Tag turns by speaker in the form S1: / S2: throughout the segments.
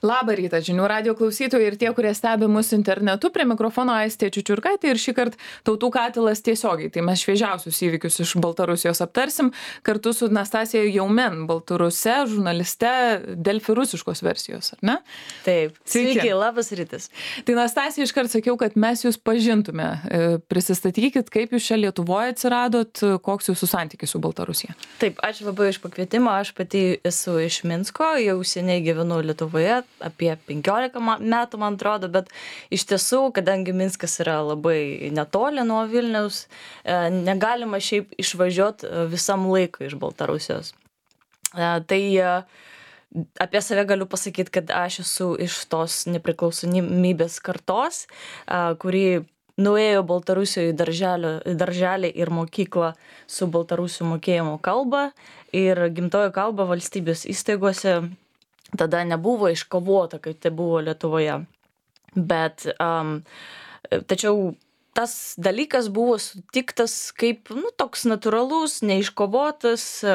S1: Labą rytą, žinių radio klausytojai ir tie, kurie stebi mus internetu. Prie mikrofono Aistė Čiučiurkaitė ir šįkart Tautų katilas tiesiogiai. Tai mes šviežiausius įvykius iš Baltarusijos aptarsim kartu su Nastasija Jaumen, baltaruse, žurnaliste Delfi rusiškos versijos, ar ne?
S2: Taip, sveiki, labas rytas.
S1: Tai Nastasija, iškart sakiau, kad mes jūs pažintume. Prisistatykit, kaip jūs čia Lietuvoje atsiradot, koks jūsų santykis su Baltarusija.
S2: Taip, ačiū labai iš pakvietimą. Aš pati esu iš Minsko, jau seniai gyvenu Lietuvoje. Apie 15 metų, man atrodo, bet iš tiesų, kadangi Minskas yra labai netoli nuo Vilniaus, negalima šiaip išvažiuoti visam laikui iš Baltarusijos. Tai apie save galiu pasakyti, kad aš esu iš tos nepriklausomybės kartos, kuri nuėjo Baltarusijoje į darželį ir mokyklą su baltarusių mokėjimo kalba ir gimtojo kalba valstybės įstaigose tada nebuvo iškovota, kaip tai buvo Lietuvoje. Bet tačiau tas dalykas buvo sutiktas kaip toks natūralus, neiškovotas,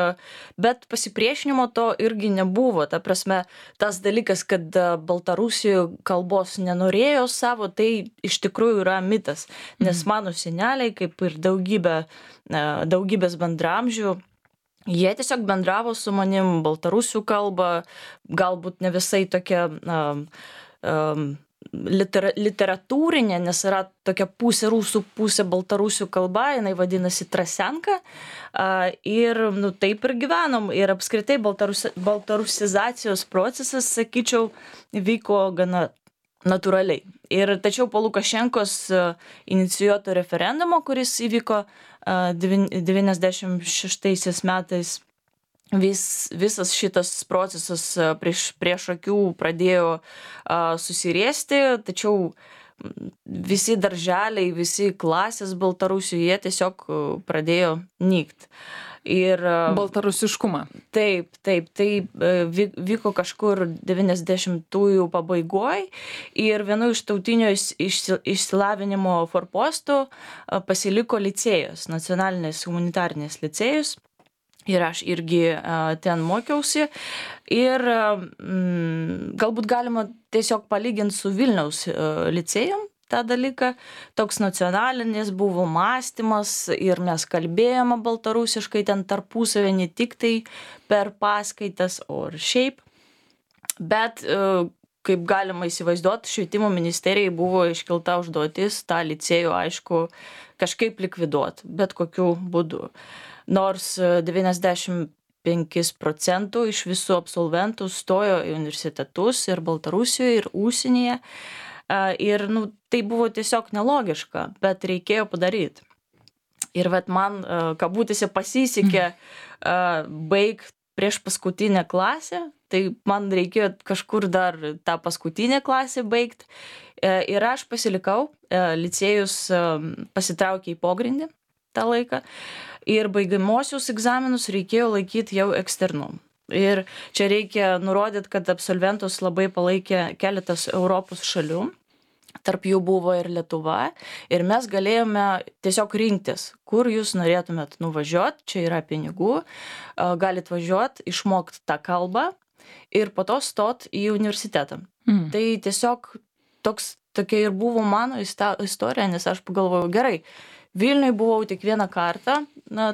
S2: bet pasipriešinimo to irgi nebuvo. Ta prasme, tas dalykas, kad Baltarusijoje kalbos nenorėjo savo, tai iš tikrųjų yra mitas. Nes mano seneliai, kaip ir daugybės bendramžių, jie tiesiog bendravo su manim baltarusių kalba, galbūt ne visai tokia literatūrinė, nes yra tokia pusė rusų, pusė baltarusių kalba, jinai vadinasi Trasenka. Ir taip ir gyvenom. Ir apskritai baltarusizacijos procesas, sakyčiau, vyko gana natūraliai. Ir tačiau po Lukašenkos inicijuoto referendumo, kuris įvyko 96 metais, visas šitas procesas prieš akių pradėjo susiriesti, tačiau visi darželiai, visi klasės Baltarusijoje, jie tiesiog pradėjo nykt. Ir
S1: baltarusiškumą.
S2: Taip, tai vyko kažkur 90-ųjų pabaigoj ir vienu iš tautinio išsilavinimo forpostų pasiliko licėjus, nacionalinės humanitarinės licėjus. Ir aš irgi ten mokiausi. Ir galbūt galima tiesiog palyginti su Vilniaus licėjum tą dalyką. Toks nacionalinis buvo mąstymas ir mes kalbėjome baltarusiškai ten tarpusavį, ne tik tai per paskaitas, o ir šiaip. Bet kaip galima įsivaizduoti, švietimo ministerijai buvo iškelta užduotis tą licėjų, aišku, kažkaip likviduoti, bet kokiu būdu. Nors 95% iš visų absolventų stojo į universitetus ir Baltarusijoje, ir užsienyje. Ir tai buvo tiesiog nelogiška, bet reikėjo padaryti. Ir man, kabutėse, pasisekė baigti prieš paskutinę klasę, tai man reikėjo kažkur dar tą paskutinę klasę baigti. Ir aš pasilikau, licėjus pasitraukė į pogrindį tą laiką. Ir baigiamosius egzaminus reikėjo laikyti jau eksternu. Ir čia reikia nurodyti, kad absolventus labai palaikė keletas Europos šalių. Tarp jų buvo ir Lietuva. Ir mes galėjome tiesiog rinktis, kur jūs norėtumėt nuvažiuoti. Čia yra pinigų. Galit važiuoti, išmokti tą kalbą ir po to stot į universitetą. Tai tiesiog tokia ir buvo mano istorija, nes aš pagalvojau, gerai, Vilniui buvau tik vieną kartą,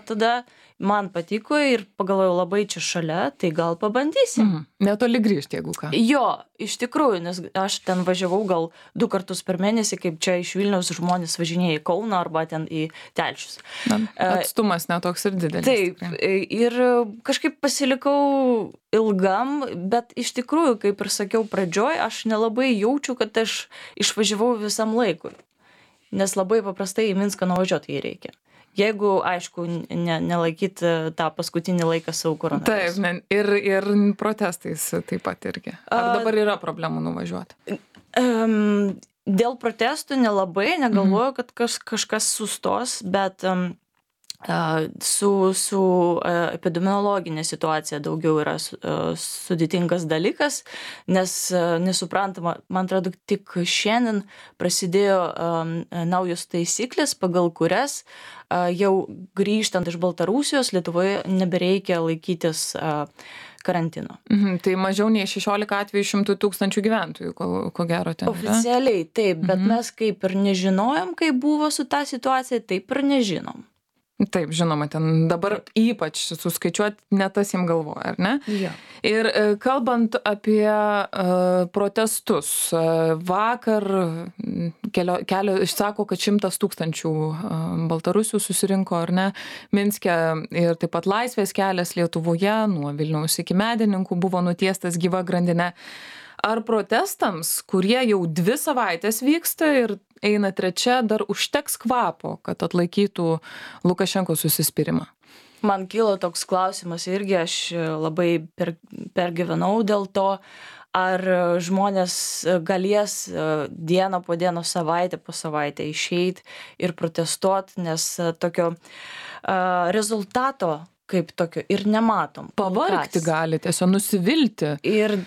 S2: tada man patiko ir pagalvojau, labai čia šalia, tai gal pabandysim.
S1: Netoli grįžti, jeigu ką.
S2: Jo, iš tikrųjų, nes aš ten važiavau gal 2 kartus per mėnesį, kaip čia iš Vilniaus žmonės važinėja į Kauną arba ten į Telšius.
S1: Atstumas netoks ir didelis.
S2: Taip, ir kažkaip pasilikau ilgam, bet iš tikrųjų, kaip ir sakiau pradžioj, aš nelabai jaučiu, kad aš išvažiavau visam laikui. Nes labai paprastai į Minską nuvažiuoti jį reikia. Jeigu, aišku, nelaikyti tą paskutinį laiką savo koronavirusu.
S1: Taip, ir protestais taip pat irgi. Ar dabar yra problemų nuvažiuoti?
S2: Dėl protestų nelabai, negalvoju, kad kažkas sustos, bet su epidemiologinė situacija daugiau yra sudėtingas dalykas, nes nesuprantama, man atrodo, tik šiandien prasidėjo naujos taisyklės, pagal kurias jau grįžtant iš Baltarusijos Lietuvoje nebereikia laikytis karantino.
S1: Tai mažiau nei 16 atvejų 100 000 gyventojų, ko gero ten.
S2: Oficialiai taip, bet mes kaip ir nežinojom, kaip buvo su ta situacija, taip ir nežinom.
S1: Taip, žinoma, ten dabar ypač suskaičiuoti ne tas jiem galvoja, ar ne?
S2: Jo.
S1: Ir kalbant apie protestus, vakar sako, kad 100 000 baltarusių susirinko, ar ne, Minske, ir taip pat Laisvės kelias Lietuvoje nuo Vilniaus iki Medininkų buvo nutiestas gyva grandinė. Ar protestams, kurie jau 2 savaitės vyksta ir eina 3, dar užteks kvapo, kad atlaikytų Lukašenkos užsispyrimą?
S2: Man kilo toks klausimas irgi, aš labai pergyvenau dėl to, ar žmonės galės dieną po dienos, savaitę po savaitę išeiti ir protestuoti, nes tokio rezultato kaip tokio ir nematom.
S1: Pavargti gali, tiesiog nusivilti.
S2: Ir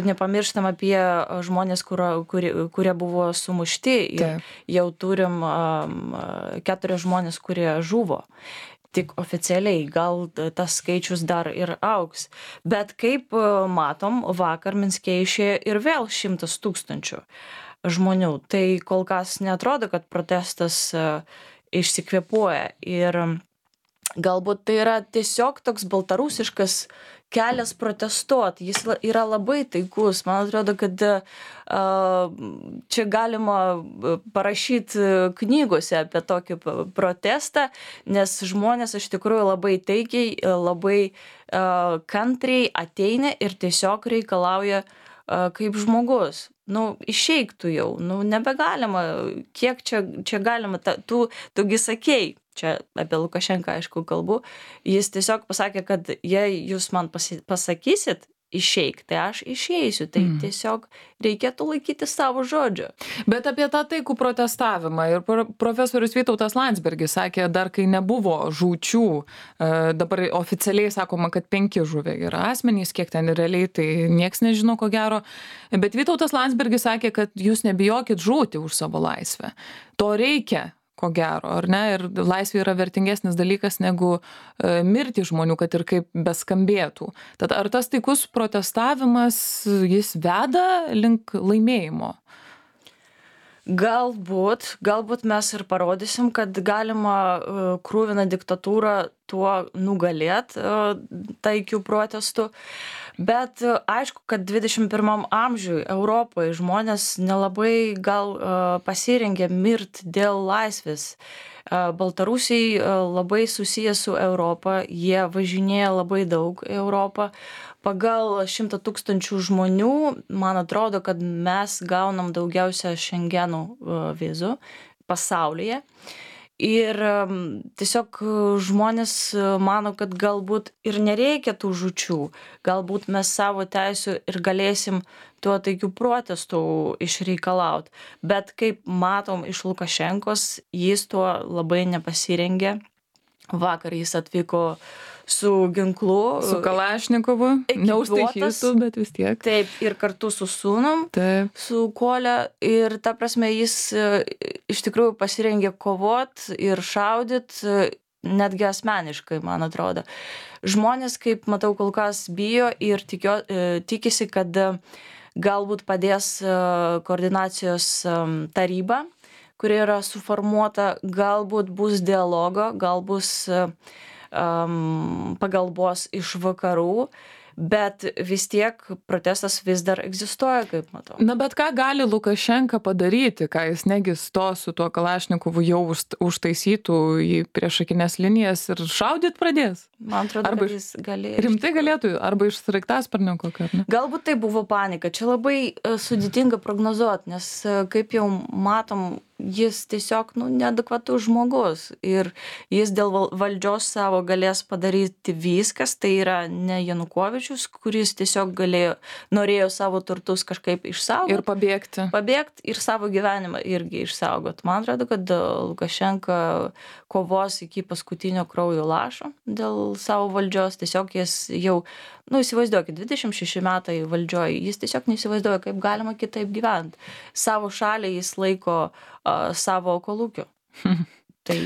S2: nepamirštam apie žmonės, kurie buvo sumušti. Ir jau turim 4 žmonės, kurie žuvo. Tik oficialiai, gal tas skaičius dar ir augs. Bet kaip matom, vakar Minske išėjo ir vėl 100 000 žmonių. Tai kol kas neatrodo, kad protestas išsikvėpuoja. Ir galbūt tai yra tiesiog toks baltarusiškas kelias protestuoti. Jis yra labai taikus. Man atrodo, kad čia galima parašyti knygose apie tokį protestą, nes žmonės iš tikrųjų labai taikiai, labai kantriai ateina ir tiesiog reikalauja kaip žmogus. Išeik tu jau, nebegalima, kiek čia galima, tugi sakei, čia apie Lukašenką aišku kalbu, jis tiesiog pasakė, kad jei jūs man pasakysit išeik, tai aš išeisiu, tai tiesiog reikėtų laikyti savo žodžio.
S1: Bet apie tą taikų protestavimą ir profesorius Vytautas Landsbergis sakė, dar kai nebuvo žūčių, dabar oficialiai sakoma, kad 5 žuvę yra asmenys, kiek ten realiai, tai nieks nežino ko gero, bet Vytautas Landsbergis sakė, kad jūs nebijokit žūti už savo laisvę. To reikia. Ko gero, ar ne? Ir laisvė yra vertingesnis dalykas negu mirti žmonių, kad ir kaip beskambėtų. Tad ar tas taikus protestavimas, jis veda link laimėjimo?
S2: Galbūt mes ir parodysim, kad galima krūviną diktatūrą tuo nugalėt taikių protestų. Bet aišku, kad 21 amžiui Europoje žmonės nelabai gal pasirengė mirt dėl laisvės. Baltarusiai labai susiję su Europą, jie važinėja labai daug į Europą. Pagal 100 000 žmonių, man atrodo, kad mes gaunam daugiausia Šengenų vizų pasaulyje. Ir tiesiog žmonės mano, kad galbūt ir nereikia tų žūčių, galbūt mes savo teisių ir galėsim tuo taikių protestų išreikalauti. Bet kaip matom iš Lukašenkos, jis tuo labai nepasirengė. Vakar jis atvyko su ginklu.
S1: Su Kalašnikovu. Neužtaikytų, bet vis tiek.
S2: Taip, ir kartu su sūnum, su Kole. Ir ta prasme, jis iš tikrųjų pasirengė kovot ir šaudyt, netgi asmeniškai, man atrodo. Žmonės, kaip matau, kol kas bijo ir tikisi, kad galbūt padės koordinacijos taryba, kuri yra suformuota, galbūt bus dialogo, gal bus pagalbos iš vakarų, bet vis tiek protestas vis dar egzistuoja, kaip matau.
S1: Na, bet ką gali Lukašenka padaryti, ką jis negi stos su tuo Kalašnikovu jau užtaisytų į priešakinės linijas ir šaudyt pradės?
S2: Man atrodo, arba kad jis galėjo.
S1: Rimtai galėtų, arba iš sraigtasparnio kokio, ne?
S2: Galbūt tai buvo panika. Čia labai sudėtinga prognozuoti, nes kaip jau matom, jis tiesiog neadekvatus žmogus ir jis dėl valdžios savo galės padaryti viskas, tai yra ne Janukovičius, kuris tiesiog norėjo savo turtus kažkaip išsaugoti.
S1: Ir pabėgti.
S2: Pabėgti ir savo gyvenimą irgi išsaugoti. Man atrodo, kad Lukašenka kovos iki paskutinio kraujo lašo dėl savo valdžios. Tiesiog jis jau, įsivaizduokit, 26 metai valdžioj, jis tiesiog neįsivaizduoja, kaip galima kitaip gyventi. Savo šalį jis laiko savo kolūkiu. Tai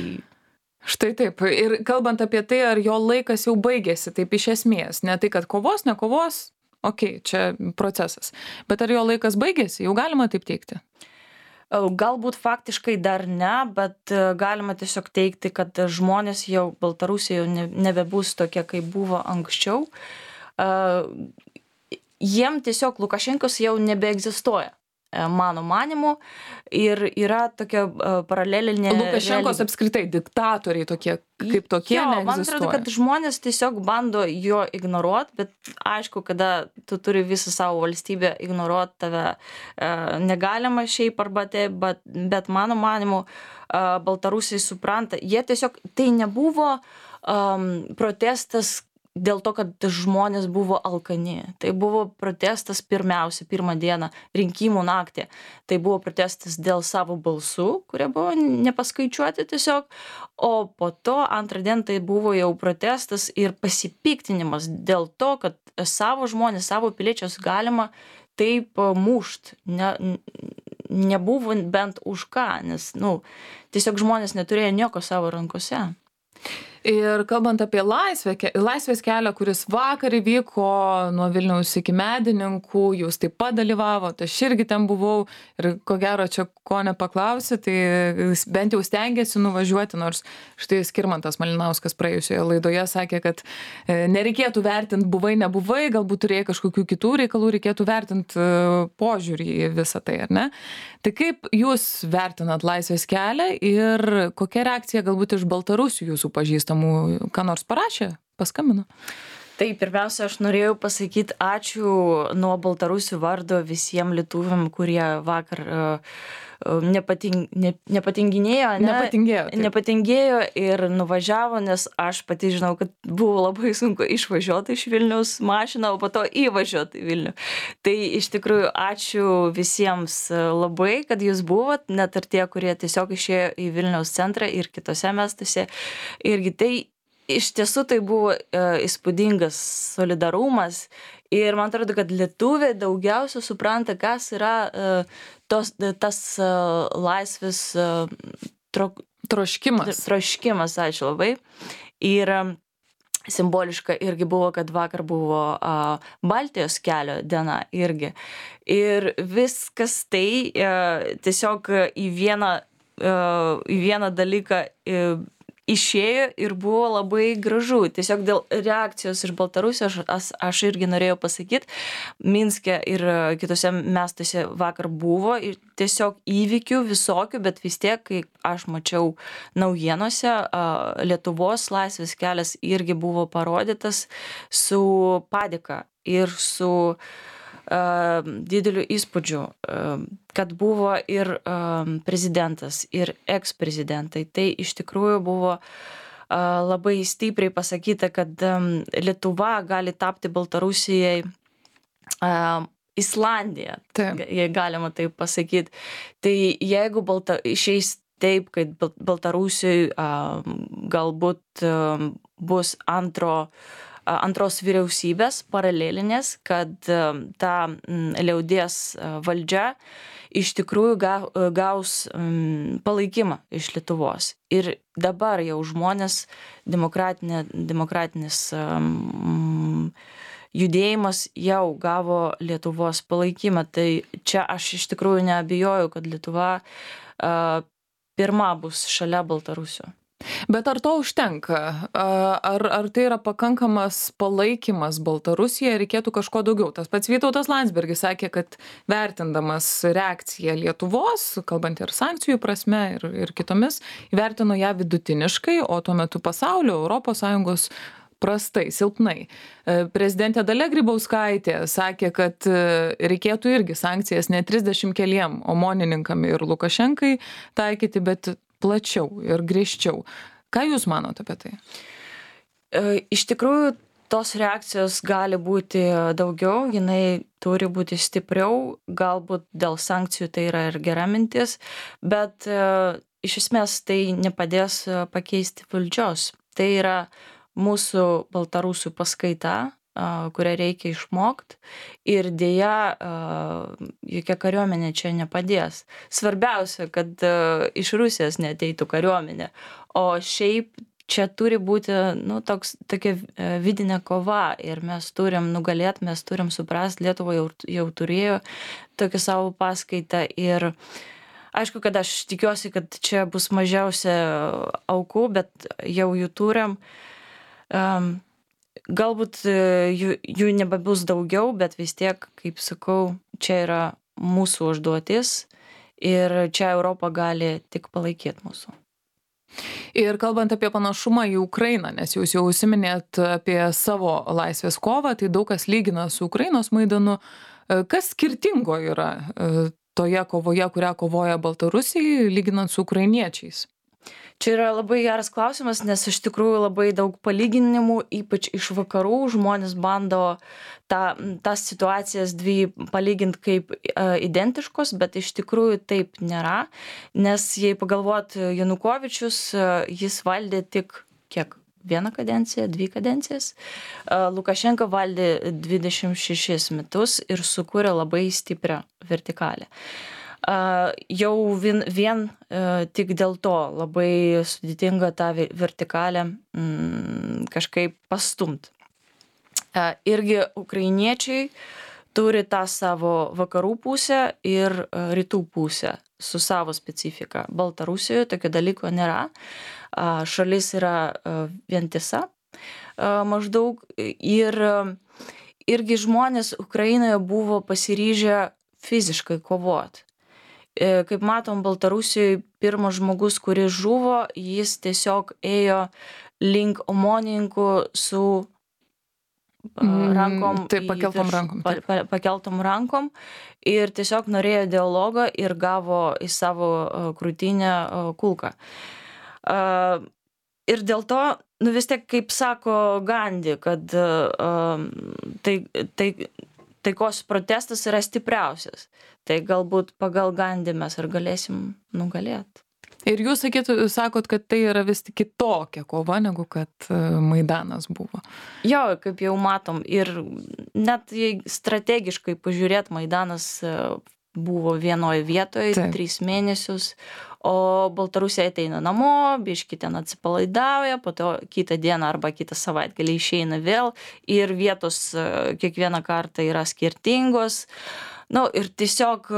S1: Štai taip. Ir kalbant apie tai, ar jo laikas jau baigėsi, taip iš esmės, ne tai, kad kovos, nekovos, okei, čia procesas. Bet ar jo laikas baigėsi, jau galima taip teikti?
S2: Galbūt faktiškai dar ne, bet galima tiesiog teigti, kad žmonės jau Baltarusijoje nebebus tokie, kaip buvo anksčiau. Jiem tiesiog Lukašenkos jau nebeegzistuoja, mano manimu, ir yra tokia paralelinė
S1: Lukašenkos apskritai diktatoriai tokie, kaip tokie neegzistuoja.
S2: Man atrodo, kad žmonės tiesiog bando jo ignoruoti, bet aišku, kada tu turi visą savo valstybę ignoruoti, tave negalima šiaip arba taip, bet mano manimu, Baltarusiai supranta, jie tiesiog, tai nebuvo protestas dėl to, kad žmonės buvo alkani. Tai buvo protestas pirmą dieną, rinkimų naktį. Tai buvo protestas dėl savo balsų, kurie buvo nepaskaičiuoti tiesiog. O po to antrą dieną tai buvo jau protestas ir pasipiktinimas dėl to, kad savo žmonės, savo piliečius galima taip mušt. Nebuvo bent už ką, nes tiesiog žmonės neturėjo nieko savo rankose.
S1: Ir kalbant apie laisvės kelią, kuris vakar įvyko nuo Vilniaus iki Medininkų, jūs taip pat dalyvavote, aš irgi ten buvau ir ko gero čia ko nepaklausi, tai bent jau stengiasi nuvažiuoti, nors štai Skirmantas Malinauskas praėjusioje laidoje sakė, kad nereikėtų vertinti buvai, nebuvai, galbūt turėjai kažkokių kitų reikalų, reikėtų vertinti požiūrį į visą tai, ar ne? Tai kaip jūs vertinat laisvės kelią ir kokia reakcija galbūt iš Baltarusių jūsų pažįstamų, ką nors parašė, paskambino?
S2: Tai pirmiausia, aš norėjau pasakyti ačiū nuo Baltarusių vardo visiems lietuviam, kurie vakar nepatingėjo ir nuvažiavo, nes aš pati žinau, kad buvo labai sunku išvažiuoti iš Vilniaus mašiną, o po to įvažiuoti į Vilnių. Tai iš tikrųjų ačiū visiems labai, kad jūs buvot, net ir tie, kurie tiesiog išėjo į Vilniaus centrą ir kitose miestuose. Irgi tai iš tiesų tai buvo įspūdingas solidarumas ir man atrodo, kad lietuviai daugiausia supranta, kas yra tas laisvės troškimas, ačiū labai. Ir simboliška irgi buvo, kad vakar buvo Baltijos kelio diena irgi. Ir viskas tai tiesiog į vieną dalyką išėjo ir buvo labai gražu. Tiesiog dėl reakcijos iš Baltarusijos aš irgi norėjau pasakyti, Minske ir kitose miestuose vakar buvo ir tiesiog įvykių visokių, bet vis tiek, kai aš mačiau naujienose, Lietuvos laisvės kelias irgi buvo parodytas su padėka ir su dideliu įspūdžiu, kad buvo ir prezidentas, ir eksprezidentai. Tai iš tikrųjų buvo labai stipriai pasakyta, kad Lietuva gali tapti Baltarusijai Islandija, jei galima taip pasakyti. Tai jeigu išeis taip, kad Baltarusijai galbūt bus antros vyriausybės paralelinės, kad ta liaudies valdžia iš tikrųjų gaus palaikymą iš Lietuvos. Ir dabar jau žmonės, demokratinis judėjimas jau gavo Lietuvos palaikymą. Tai čia aš iš tikrųjų neabejoju, kad Lietuva pirma bus šalia Baltarusio.
S1: Bet ar to užtenka? Ar tai yra pakankamas palaikymas Baltarusijai, reikėtų kažko daugiau? Tas pats Vytautas Landsbergis sakė, kad vertindamas reakciją Lietuvos, kalbant ir sankcijų prasme ir kitomis, įvertino ją vidutiniškai, o tuo metu pasaulio, ES prastai, silpnai. Prezidentė Dalia Grybauskaitė sakė, kad reikėtų irgi sankcijas ne 30 keliem omonininkam ir Lukašenkai taikyti, bet plačiau ir griežčiau. Ką jūs manote apie tai?
S2: Iš tikrųjų, tos reakcijos gali būti daugiau, jinai turi būti stipriau, galbūt dėl sankcijų tai yra ir gera mintis, bet iš esmės tai nepadės pakeisti valdžios. Tai yra mūsų baltarusių paskaita kurią reikia išmokti ir dėja jokia kariuomenė čia nepadės. Svarbiausia, kad iš Rusijos neateitų kariuomenė, o šiaip čia turi būti tokia vidinė kova ir mes turim nugalėti, mes turim suprasti, Lietuva jau turėjo tokį savo paskaitą ir aišku, kad aš tikiuosi, kad čia bus mažiausia aukų, bet jau jų turim. Galbūt jų nebebus daugiau, bet vis tiek, kaip sakau, čia yra mūsų užduotis ir čia Europa gali tik palaikyti mūsų.
S1: Ir kalbant apie panašumą į Ukrainą, nes jūs jau užsiminėt apie savo laisvės kovą, tai daug kas lygina su Ukrainos Maidanu. Kas skirtingo yra toje kovoje, kurią kovoja Baltarusijai, lyginant su ukrainiečiais?
S2: Čia yra labai geras klausimas, nes iš tikrųjų labai daug palyginimų, ypač iš vakarų, žmonės bando tas situacijas dvi palyginti kaip identiškos, bet iš tikrųjų taip nėra, nes jei pagalvot, Janukovičius, jis valdė tik kiek? 1 kadenciją, 2 kadencijas. Lukašenka valdė 26 metus ir sukūrė labai stiprią vertikalę. Jau vien tik dėl to labai sudėtinga tą vertikalę kažkaip pastumt. Irgi ukrainiečiai turi tą savo vakarų pusę ir rytų pusę su savo specifika. Baltarusijoje tokio dalyko nėra. Šalis yra vientisa maždaug ir irgi žmonės Ukrainoje buvo pasiryžę fiziškai kovoti. Kaip matom, Baltarusijoje pirmas žmogus, kuris žuvo, jis tiesiog ėjo link omonininkų su rankom, pakeltom rankom ir tiesiog norėjo dialogą ir gavo į savo krūtinę kulką. Ir dėl to, vis tiek, kaip sako Gandhi, kad taikos protestas yra stipriausias. Tai galbūt pagal Gandhi mes ir galėsim nugalėti.
S1: Ir jūs sakot, kad tai yra vis tik kitokia kova, negu kad Maidanas buvo.
S2: Jo, kaip jau matom. Ir net jei strategiškai pažiūrėt, Maidanas buvo vienoje vietoje 3 mėnesius, o Baltarusija ateina namo, biškį ten atsipalaidauja, po to kitą dieną arba kitą savaitgalį išeina vėl ir vietos kiekvieną kartą yra skirtingos. Ir tiesiog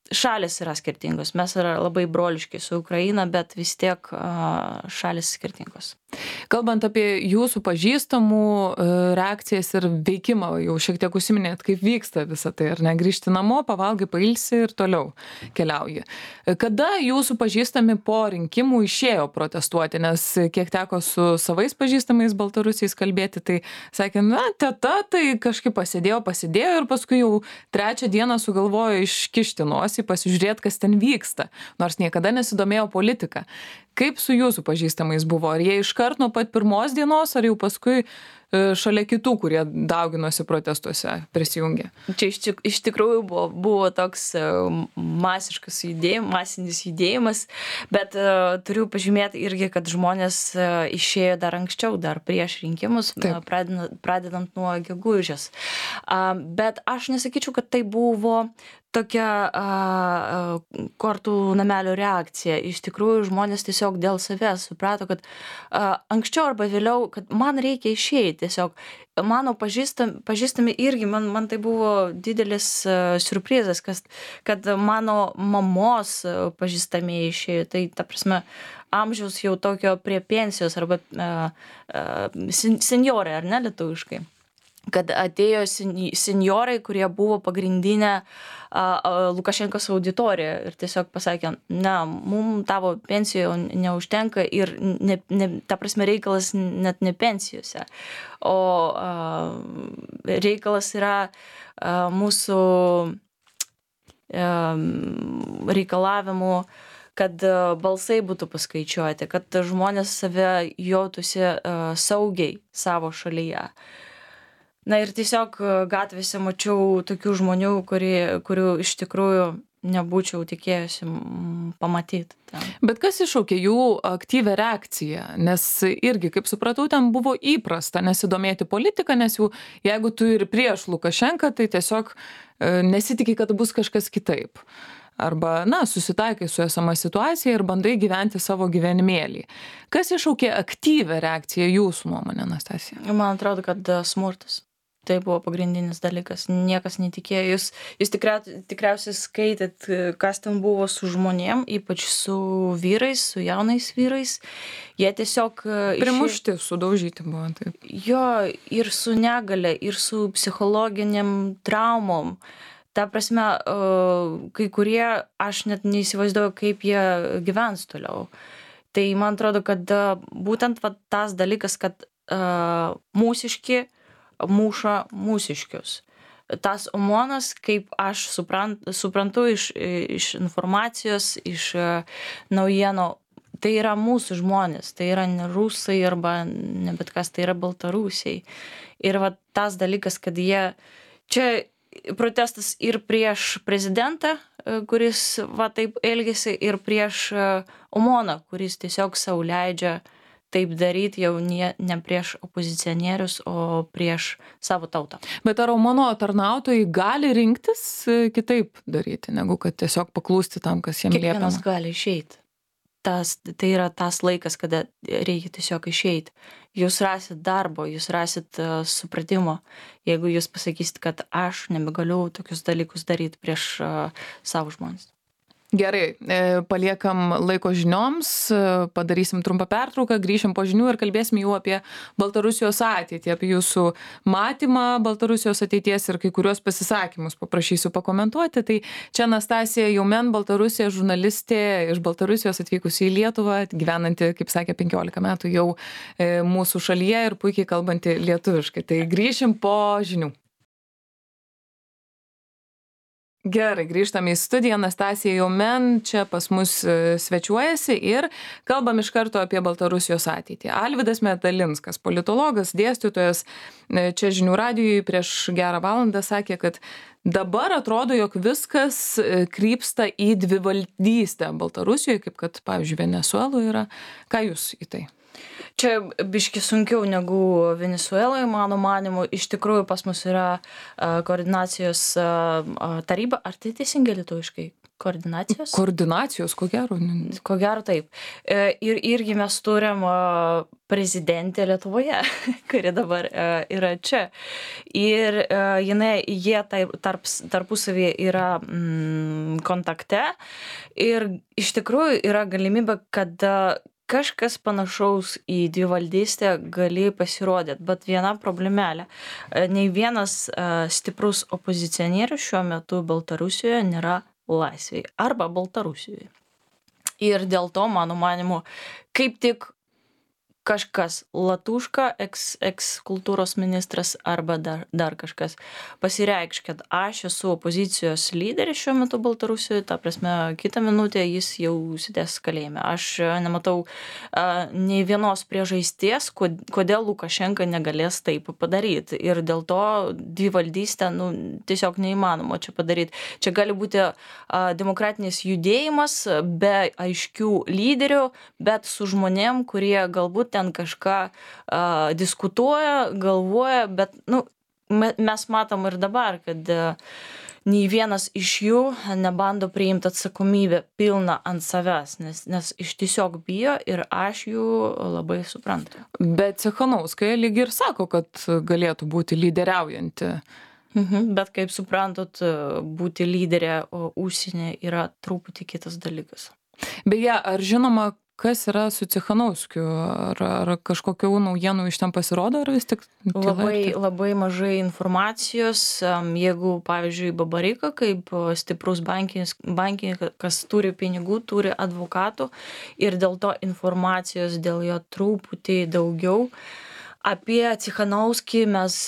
S2: šalis yra skirtingos. Mes yra labai broliški su Ukraina, bet vis tiek šalis skirtingos.
S1: Kalbant apie jūsų pažįstamų reakcijas ir veikimą, jau šiek tiek užsiminėt, kaip vyksta visa tai, ar ne, grįžti namo, pavalgai, pailsi ir toliau keliauji. Kada jūsų pažįstami po rinkimų išėjo protestuoti, nes kiek teko su savais pažįstamais baltarusiais kalbėti, tai sakė, teta, tai kažkaip pasėdėjo ir paskui jau 3 dieną sugalvojo iškišti nosį, pasižiūrėti, kas ten vyksta, nors niekada nesidomėjo politika. Kaip su jūsų pažįstamais buvo? Ar jie iškart nuo pat pirmos dienos, ar jau paskui šalia kitų, kurie dauginosi protestuose, prisijungė?
S2: Čia iš tikrųjų buvo toks masinis judėjimas, bet turiu pažymėti irgi, kad žmonės išėjo dar anksčiau, dar prieš rinkimus, pradedant nuo gegužės. Bet aš nesakyčiau, kad tai buvo tokia kortų namelio reakcija. Iš tikrųjų, žmonės tiesiog dėl savęs suprato, kad anksčiau arba vėliau, kad man reikia išeiti. Tiesiog mano pažįstami irgi, man tai buvo didelis siurprizas, kad mano mamos pažįstami išėjo. Tai, ta prasme, amžiaus jau tokio prie pensijos arba senjorai, ar ne lietuviškai. Kad atėjo senjorai, kurie buvo pagrindinė Lukašenkos auditorija ir tiesiog pasakė, mums tavo pensijoje neužtenka ir ta prasme reikalas net ne pensijose, o reikalas yra mūsų reikalavimų, kad balsai būtų paskaičiuoti, kad žmonės save jautųsi saugiai savo šalyje. Ir tiesiog gatvėse mačiau tokių žmonių, kurių iš tikrųjų nebūčiau tikėjusi pamatyti ten.
S1: Bet kas iššaukė jų aktyvią reakciją? Nes irgi, kaip supratau, ten buvo įprasta nesidomėti politiką, nes jau jeigu tu ir prieš Lukašenką, tai tiesiog nesitikė, kad bus kažkas kitaip. Arba, susitaikai su esama situacija ir bandai gyventi savo gyvenimėlį. Kas iššaukė aktyvią reakciją jūsų nuomonė, Anastasija?
S2: Man atrodo, kad smurtas. Tai buvo pagrindinis dalykas. Niekas netikėjo. Jūs tikriausiai skaitėt, kas ten buvo su žmonėm, ypač su vyrais, su jaunais vyrais. Jie tiesiog...
S1: Primušti, sudaužyti buvo, taip.
S2: Jo, ir su negale, ir su psichologiniam traumom. Ta prasme, kai kurie, aš net neįsivaizduoju, kaip jie gyvens toliau. Tai man atrodo, kad būtent tas dalykas, kad mūsiški muša mūsiškius. Tas OMONas, kaip aš suprantu iš informacijos, iš naujienų, tai yra mūsų žmonės, tai yra ne rusai arba ne bet kas, tai yra baltarusiai. Ir tas dalykas, kad jie, čia protestas ir prieš prezidentą, kuris taip elgėsi, ir prieš OMONą, kuris tiesiog sau leidžia taip daryti jau ne prieš opozicionierius, o prieš savo tautą.
S1: Bet ar OMONo tarnautojai gali rinktis kitaip daryti, negu kad tiesiog paklūsti tam, kas jiems liepiama?
S2: Kiekvienas gali išeiti. Tai yra tas laikas, kada reikia tiesiog išeiti. Jūs rasit darbo, jūs rasit supratimo. Jeigu jūs pasakysit, kad aš nebegaliu tokius dalykus daryti prieš savo žmonės.
S1: Gerai, paliekam laiko žinioms, padarysim trumpą pertrauką, grįšim po žinių ir kalbėsim jau apie Baltarusijos ateitį, apie jūsų matymą Baltarusijos ateities ir kai kuriuos pasisakymus paprašysiu pakomentuoti. Tai čia Anastasija Youmen, Baltarusija, žurnalistė iš Baltarusijos atvykusi į Lietuvą, gyvenanti, kaip sakė, 15 metų jau mūsų šalyje ir puikiai kalbanti lietuviškai. Tai grįšim po žinių. Gerai, grįžtame į studiją. Anastasija Youmen čia pas mus svečiuojasi ir kalbam iš karto apie Baltarusijos ateitį. Alvydas Medalinskas, politologas, dėstytojas, čia Žinių radijui prieš gerą valandą sakė, kad dabar atrodo, jog viskas krypsta į dvivaldystę Baltarusijoje, kaip kad, pavyzdžiui, Venesueloje yra. Ką jūs į tai?
S2: Čia biški sunkiau negu Venesueloje, mano manimu. Iš tikrųjų, pas mus yra koordinacijos taryba. Ar tai teisingai lietuviškai? Koordinacijos?
S1: Koordinacijos, ko gero.
S2: Ko gero taip. Ir irgi mes turim prezidentę Lietuvoje, kuri dabar yra čia. Ir jie tarpusavį yra kontakte. Ir iš tikrųjų yra galimybė, kad kažkas panašaus į dvivaldystę gali pasirodyti, bet viena problemelė. Nei vienas stiprus opozicionierius šiuo metu Baltarusijoje nėra laisvėje arba Baltarusijoje. Ir dėl to, mano manimu, kaip tik kažkas Latuška, ex-kultūros ministras arba dar kažkas pasireikš, kad aš esu opozicijos lyderis šiuo metu Baltarusijoje, ta prasme, kitą minutę jis jau sėdės kalėjime. Aš nematau nei vienos priežasties, kodėl Lukašenka negalės taip padaryti. Ir dėl to dvivaldystę tiesiog neįmanoma čia padaryti. Čia gali būti demokratinis judėjimas be aiškių lyderių, bet su žmonėm, kurie galbūt ten kažką diskutuoja, galvoja, bet mes matom ir dabar, kad nei vienas iš jų nebando priimti atsakomybę pilną ant savęs, nes iš tiesiog bijo ir aš jų labai suprantu.
S1: Bet Cechanauskaja lyg ir sako, kad galėtų būti lyderiaujanti.
S2: Bet kaip suprantat, būti lyderė užsienė yra truputį kitas dalykas.
S1: Beje, ar žinoma, kas yra su Cechanauskiu? Ar kažkokių naujienų iš ten pasirodo, ar vis tik
S2: labai mažai informacijos. Jeigu, pavyzdžiui, Babaryka, kaip stiprus bankininkas, turi pinigų, turi advokatų ir dėl to informacijos dėl jo truputį daugiau. Apie Cechanauskį mes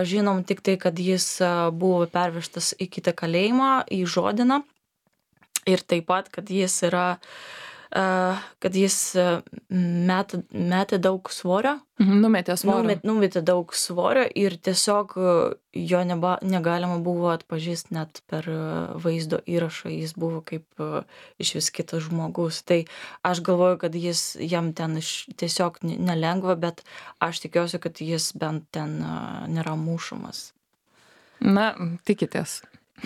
S2: žinom tik tai, kad jis buvo pervežtas į kitą kalėjimą, į Žodiną. Ir taip pat, kad jis yra kad jis metė daug svorio.
S1: Numetė svorio.
S2: Numetė daug svorio ir tiesiog jo negalima buvo atpažįsti net per vaizdo įrašą, jis buvo kaip iš vis kitas žmogus. Tai aš galvoju, kad jam ten tiesiog nelengva, bet aš tikiuosi, kad jis bent ten nėra mušamas.
S1: Na, tikitės.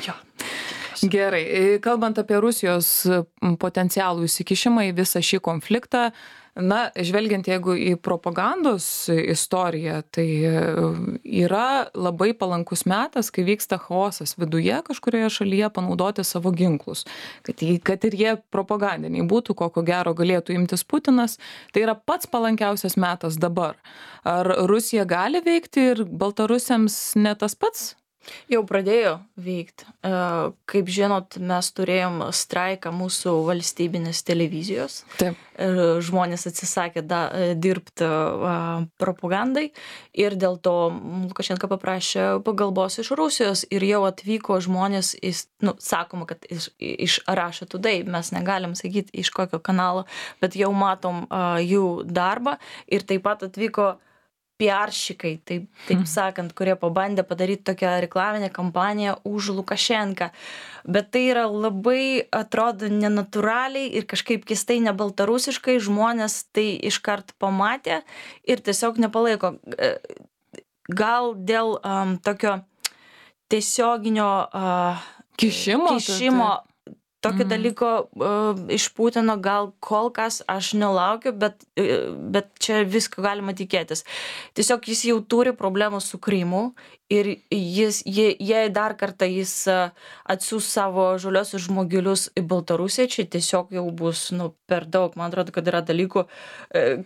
S2: Jo.
S1: Gerai, kalbant apie Rusijos potencialų įsikišimą į visą šį konfliktą, na, žvelgiant jeigu į propagandos istoriją, tai yra labai palankus metas, kai vyksta chaosas viduje kažkurioje šalyje panaudoti savo ginklus. Kad ir jie propagandiniai būtų, ko gero galėtų imtis Putinas, tai yra pats palankiausias metas dabar. Ar Rusija gali veikti ir baltarusiams ne tas pats?
S2: Jau pradėjo veikti. Kaip žinot, mes turėjom straiką mūsų valstybinės televizijos.
S1: Taip.
S2: Žmonės atsisakė dirbti propagandai ir dėl to Lukašenka paprašė pagalbos iš Rusijos ir jau atvyko žmonės, sakoma, kad iš Russia Today, mes negalim sakyti iš kokio kanalo, bet jau matom jų darbą ir taip pat atvyko PR-šikai, taip sakant, kurie pabandė padaryti tokią reklaminę kampaniją už Lukašenką. Bet tai yra labai, atrodo, nenatūraliai ir kažkaip keistai nebaltarusiškai, žmonės tai iškart pamatė ir tiesiog nepalaiko. Gal dėl tokio tiesioginio kišimo tokio dalyko iš Putino gal kol kas aš nelaukiu, bet čia visko galima tikėtis. Tiesiog jis jau turi problemų su Krymu ir jei dar kartą jis atsiųs savo žaliosius žmogelius į Baltarusiją, čia tiesiog jau bus per daug. Man atrodo, kad yra dalykų,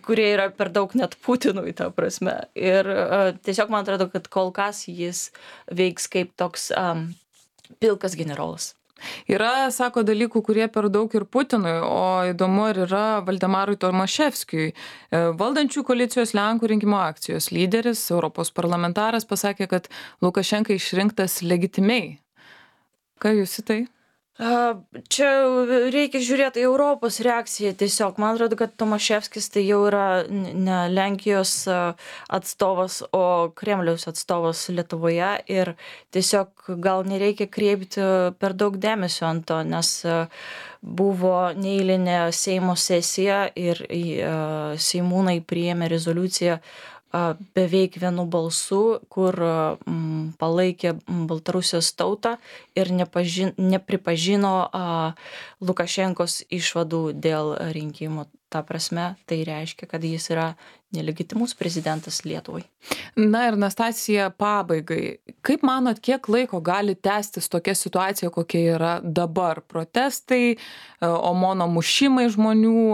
S2: kurie yra per daug net Putinui, ta prasme. Ir tiesiog man atrodo, kad kol kas jis veiks kaip toks pilkas generolas.
S1: Yra, sako, dalykų, kurie per daug ir Putinui, o įdomu ar yra Valdemarui Tomaševskijui. Valdančių koalicijos Lenkų rinkimų akcijos lyderis, Europos parlamentaras, pasakė, kad Lukašenka išrinktas legitimiai. Ką jūs į tai?
S2: Čia reikia žiūrėti į Europos reakciją tiesiog. Man atrodo, kad Tomaševskis tai jau yra ne Lenkijos atstovas, o Kremliaus atstovas Lietuvoje ir tiesiog gal nereikia kreipti per daug dėmesio ant to, nes buvo neeilinė Seimo sesija ir seimūnai priėmė rezoliuciją beveik vienu balsu, kur palaikė Baltarusijos tautą ir nepripažino Lukašenkos išvadų dėl rinkimų. Ta prasme, tai reiškia, kad jis yra nelegitimus prezidentas Lietuvai.
S1: Na ir Nastasija, pabaigai. Kaip manot, kiek laiko gali tęstis tokia situacija, kokia yra dabar? Protestai, OMONo mušimai žmonių,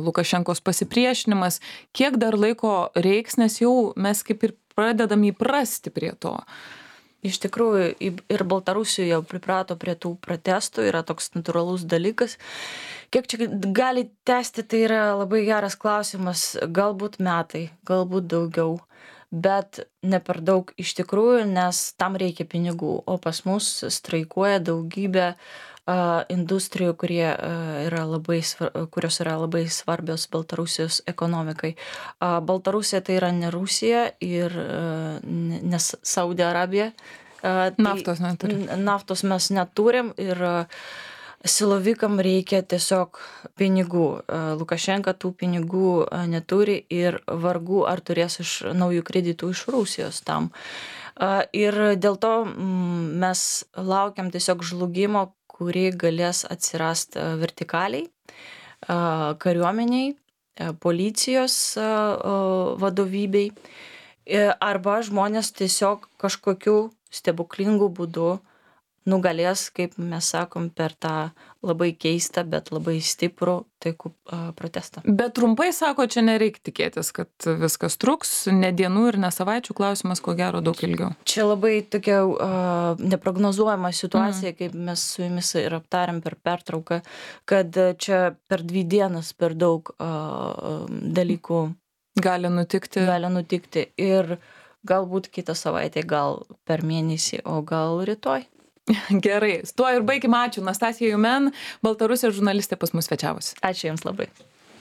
S1: Lukašenkos pasipriešinimas. Kiek dar laiko reiks, nes jau mes kaip ir pradedam įprasti prie to?
S2: Iš tikrųjų, ir Baltarusijoje jau priprato prie tų protestų, yra toks natūralus dalykas. Kiek čia gali tęsti, tai yra labai geras klausimas. Galbūt metai, galbūt daugiau, bet ne per daug iš tikrųjų, nes tam reikia pinigų. O pas mus streikuoja daugybė industrijų, kurios yra labai svarbios Baltarusijos ekonomikai. Baltarusija tai yra ne Rusija ir ne Saudi Arabija.
S1: Naftos neturim.
S2: Naftos mes neturim ir silovikam reikia tiesiog pinigų. Lukašenka tų pinigų neturi ir vargu ar turės iš naujų kreditų iš Rusijos tam. Ir dėl to mes laukiam tiesiog žlugimo, kuri galės atsirasti vertikaliai, kariuomeniai, policijos vadovybei, arba žmonės tiesiog kažkokiu stebuklingu būdu nugalės, kaip mes sakom, per tą labai keistą, bet labai stiprų taikų protestą.
S1: Bet trumpai sako, čia nereikia tikėtis, kad viskas truks, ne dienų ir ne savaičių, klausimas, ko gero, daug ilgiau.
S2: Čia labai tokia neprognozuojama situacija, kaip mes su jumis ir aptarėm per pertrauką, kad čia per 2 dienas per daug dalykų
S1: gali nutikti
S2: ir galbūt kitą savaitę, gal per mėnesį, o gal rytoj.
S1: Gerai, tuo ir baigim. Ačiū. Nastasija Jumen, Baltarusijos žurnalistė pas mus svečiavosi.
S2: Ačiū Jums labai.